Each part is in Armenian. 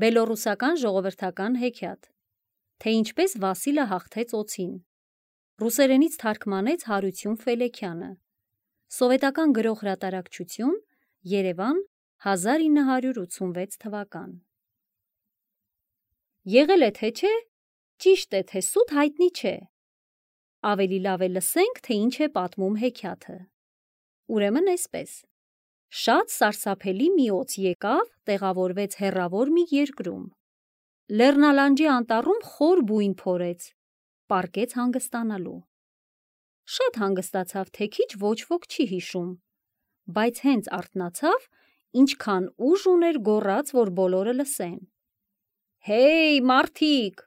Բելոռուսական ժողովրդական հեքիաթ, թե ինչպես Վասիլը հաղթեց օձին, ռուսերենից թարգմանեց Հարություն Ֆելեքյանը, սովետական գրող հրատարակչություն, Երևան, 1986 թվական։ Եղել է թե չէ, ճիշտ է թե սուտ հայտնի չէ, ավելի լավ է լսենք, թե ինչ է պատմում հեքիաթը։ Ուրեմն այսպես, շատ սարսափելի մի օձ եկավ, տեղավորվեց հեռավոր մի երկրում, լեռնալանջի անտառում խոր բույն փորեց, պառկեց հանգստանալու։ Շատ հանգստացավ, թե քիչ ոչ ոք չի հիշում, բայց հենց արթնացավ, ինչքան ուժ ուներ գոռաց, որ բոլորը լսեն. «Հեյ, մարդիկ,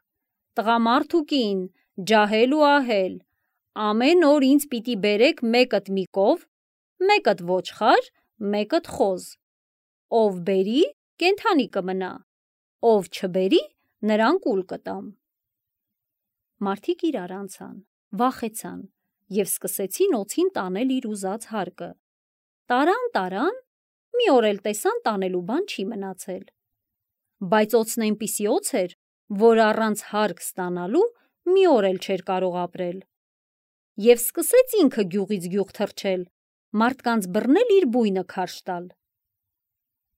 տղամարդ ու կին, ջահել ու ահել, ամեն օր ինձ պիտի բերեք մեկըդ մի կով, մեկըդ ոչխար, մեկըդ խոզ, ով բերի, կենդանի կմնա, ով չբերի, նրան կուլ կտամ»։ Մարդիկ իրար անցան, վախեցան և սկսեցին օձին տանել իր ուզած հարկը։ Տարան, մի օր էլ տեսան տանելու բան չի մնացել։ Բայց օձն այնպիսի օձ էր, որ առանց հարկ ստանալու մի օր էլ չէր կարող ապրել։ Եվ սկսեց ինքը գյուղից գյուղ թռչել, մարդկանց բռնել իր բույնը քարշ տալ։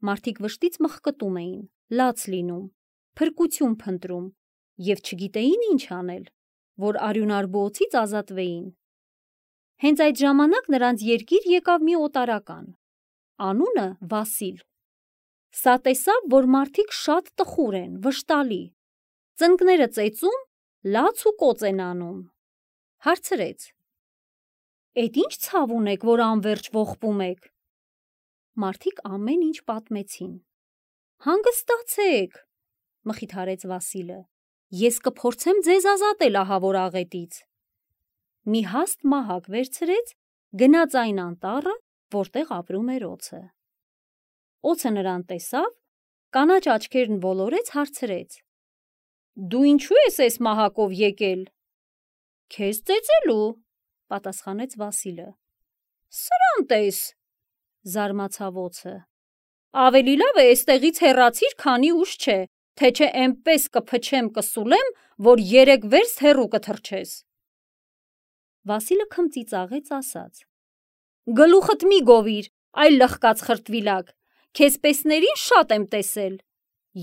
Մարդիկ վշտից մխկտում էին, լաց լինում, փրկություն փնտրում և չգիտեին ինչ անել, որ արյունարբու օձից ազատվեին։ Հենց այդ ժամանակ նրանց երկիր եկավ մի օտարական, անունը Վասիլ։ Սա տեսավ, որ մարդիկ շատ տխուր են, վշտալի, ծնկները ծեծում, լաց ու կոծ են անում։ Հարցրեց. «Էդ ինչ ցավ ունեք, որ անվերջ ողբում եք»։ Մարդիկ ամեն ինչ պատմեցին։ «Հանգստացեք», մխիթարեց Վասիլը, «ես կփորձեմ ձեզ ազատել ահավոր աղետից»։ Մի հաստ մահակ վերցրեց, գնաց այն անտառը, որտեղ ապրում էր օձը։ Օձը նրան տեսավ, կանաչ աչքերն ոլորեց, հարցրեց. «Դու ինչու ես էս մահակով եկել»։ «Քեզ ծեծելու», պատասխանեց Վասիլը։ «Սրան տես», զարմացավ օձը։ «Ավելի լավ է էստեղից հեռացիր, քանի ուշ չէ, թե չէ էնպես կփչեմ, կսուլեմ, որ 3 վերստ հեռու կթռչես»։ Վասիլը քմծիծաղեց, ասաց. «Գլուխդ մի գովիր, այ լխկած խրտվիլակ, քեզ պեսներին շատ եմ տեսել։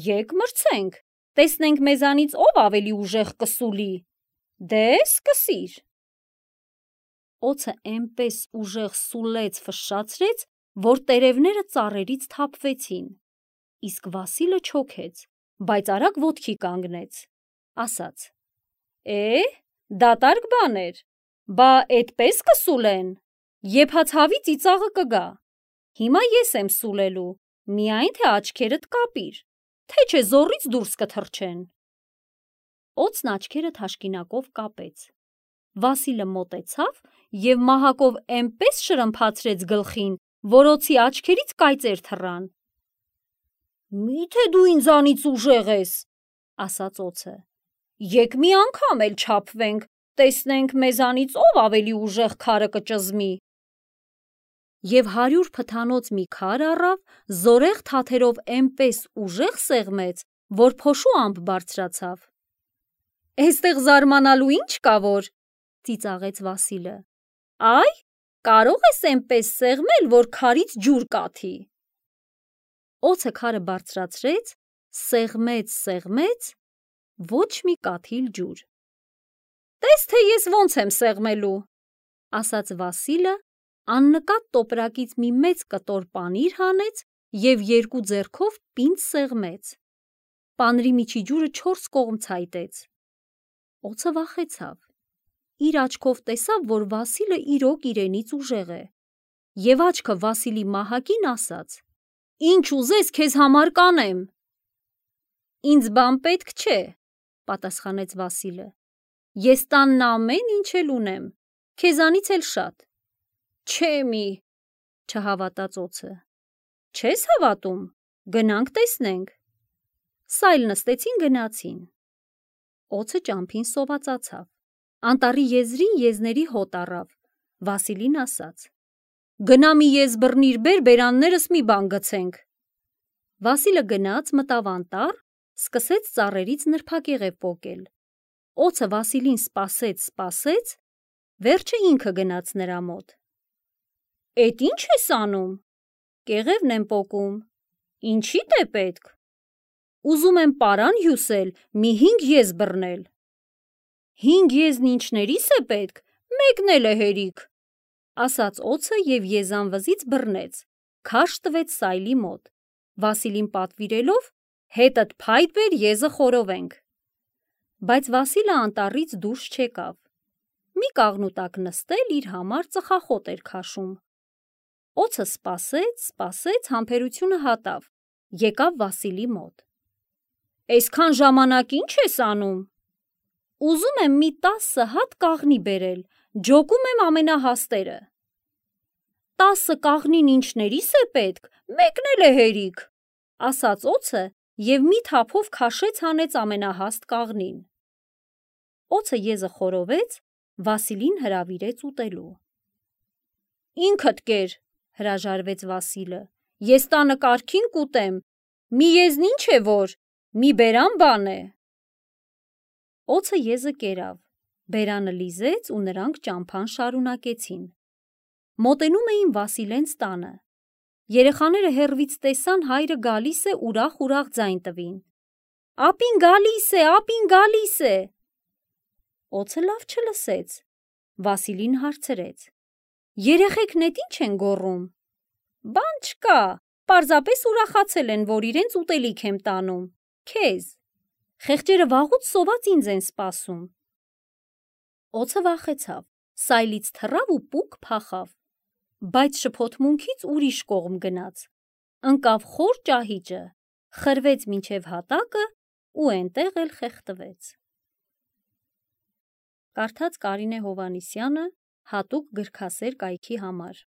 Եկ մրցենք, տեսնենք մեզանից ով ավելի ուժեղ կսուլի։ Դե սկսիր»։ Օձը էնպես ուժեղ սուլեց, ֆշշացրեց, որ տերևները ծառերից թափվեցին, իսկ Վասիլը չոքեց, բայց արագ ոտքի կանգնեց, ասաց. «Դատարկ բան էր, բա էդպես կսուլեն, եփա ցավի ծիծաղը կգա։ Հիմա ես եմ սուլելու, միայն թե աչքերդ կապիր, թե չէ զոռից դուրս կթռչեն»։ Օձն աչքերը թաշկինակով կապեց։ Վասիլը մոտեցավ և մահակով էնպես շրմփացրեց գլխին, որ օձի աչքերից կայծեր թռան։ «Մի՞թե դու ինձանից ուժեղ ես», ասաց օձը։ «Եկ մի անգամ էլ չափվենք, տեսնենք մեզանից ով ավելի ուժեղ քարը կճզմի»։ Եվ 100 փթանոց մի քար առավ, զորեղ թաթերով էնպես ուժեղ սեղմեց, որ փոշու ամպ բարձրացավ։ «Էստեղ զարմանալու ինչ կա, որ», ծիծաղեց Վասիլը։ «Այ, կարող ես էնպես սեղմել, որ քարից ջուր կաթի»։ Օձը քարը բարձրացրեց, սեղմեց, ոչ մի կաթիլ ջուր։ «Տես թե ես ոնց եմ սեղմելու», ասաց Վասիլը, աննկատ տոպրակից մի մեծ կտոր պանիր հանեց և 2 ձեռքով պինդ սեղմեց։ Պանրի միջի ջուրը 4 կողմ ցայտեց։ Օձը վախեցավ։ Իր աչքով տեսավ, որ Վասիլը իրոք իրենից ուժեղ է, և աչքը Վասիլի մահակին ասաց. «Ինչ ուզես, քեզ համար կանեմ»։ «Ինձ բան պետք չէ», պատասխանեց Վասիլը։ «Ես տանն ամեն ինչ էլ ունեմ, քեզանից էլ շատ»։ «Չէ մի», չհավատաց օձը։ «Չես հավատում, գնանք տեսնենք»։ Սայլ նստեցին, գնացին։ Օձը ճամփին սովածացավ, անտառի եզրին եզների հոտ առավ։ Վասիլին ասաց. «Գնա մի եզ բռնիր բեր, բերաններս մի բան գցենք»։ Վասիլը գնաց, մտավ անտառ, սկսեց ծառերից նրբակեղև պոկել։ Օձը Վասիլին սպասեց, վերջը ինքը գնաց նրա մոտ։ «Էդ ինչ ես անում»։ «Կեղևն եմ պոկում»։ «Ինչիդ է պետք»։ «Ուզում եմ պարան հյուսել, մի 5 եզ բռնել»։ «5 եզն ինչներիս է պետք, մեկն էլ է հերիք», ասաց օձը և եզան վզից բռնեց, քաշ տվեց Սայլի մոտ, Վասիլին պատվիրելով հետդ փայտ բեր եզը խորովենք։ Բայց Վասիլը անտառից դուրս չեկավ։ Մի կաղնու տակ նստել իր համար ծխախոտ էր քաշում։ Օձը սպասեց, համբերությունը հատավ, եկավ Վասիլի մոտ։ «Այսքան ժամանակ ինչ ես անում»։ «Ուզում եմ մի 10 հատ կաղնի բերել, ջոկում եմ ամենահաստերը»։ «10 կաղնին ինչներիս է պետք, մեկն էլ է հերիք», ասաց օձը և մի թափով քաշեց հանեց ամենահաստ կաղնին։ Օձը եզը խորովեց, Վասիլին հրավիրեց ուտելու։ «Ինքդ կեր», հրաժարվեց Վասիլը, «ես տանը կարգին կուտեմ, մի եզն ինչ է որ, մի բերան բան է»։ Օձը եզը կերավ, բերանը լիզեց ու նրանք ճամփան շարունակեցին։ Մոտենում էին Վասիլենց տանը։ Երեխաները հեռվից տեսան հայրը գալիս է, ուրախ ձայն տվին։ «Ապին գալիս է»։ Օձը լավ չլսեց։ Վասիլին հարցրեց. «Երեխեքն էդ ինչ են գոռում»։ «Բան չկա, պարզապես ուրախացել են, որ իրենց ուտելիք եմ տանում, քեզ։ Խեղճերը վաղուց սոված ինձ են սպասում»։ Օձը վախեցավ, Սայլից թռավ ու պուկ փախավ, բայց շփոթմունքից ուրիշ կողմ գնաց, ընկավ խոր ճահիճը, խրվեց մինչև հատակը ու էնտեղ էլ խեղդվեց։ Կարդաց Կարինե Հովհաննիսյանը հատուկ գրքասեր կայքի համար։